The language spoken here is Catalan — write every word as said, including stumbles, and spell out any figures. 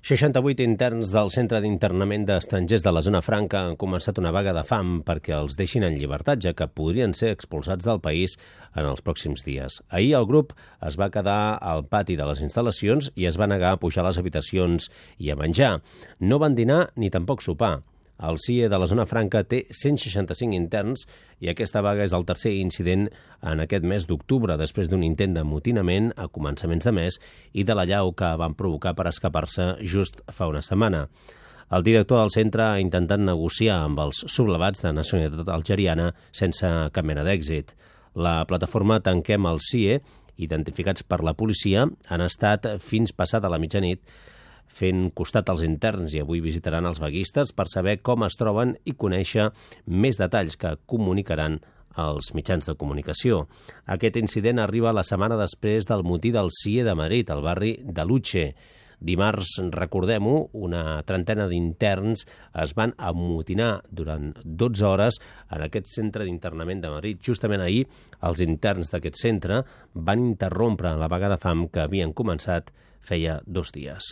seixanta-vuit interns del Centre d'Internament d'Estrangers de la Zona Franca han començat una vaga de fam perquè els deixin en llibertat, ja que podrien ser expulsats del país en els pròxims dies. Ahir el grup es va quedar al pati de les instal·lacions i es va negar a pujar a les habitacions i a menjar. No van dinar ni tampoc sopar. El C I E de la Zona Franca té cent seixanta-cinc interns i aquesta vaga és el tercer incident en aquest mes d'octubre, després d'un intent d'amotinament a començaments de mes i de l'allau que van provocar per escapar-se just fa una setmana. El director del centre ha intentat negociar amb els sublevats de nacionalitat algeriana sense cap mena d'èxit. La plataforma Tanquem el C I E, identificats per la policia, han estat fins passada la mitjanit fent costat als interns i avui visitaran els vaguistes per saber com es troben i conèixer més detalls que comunicaran als mitjans de comunicació. Aquest incident arriba la setmana després del motí del C I E de Madrid, al barri de Luche. Dimarts, recordem-ho, una trentena d'interns es van amotinar durant dotze hores en aquest centre d'internament de Madrid. Justament ahir, els interns d'aquest centre van interrompre la vaga de fam que havien començat feia dos dies.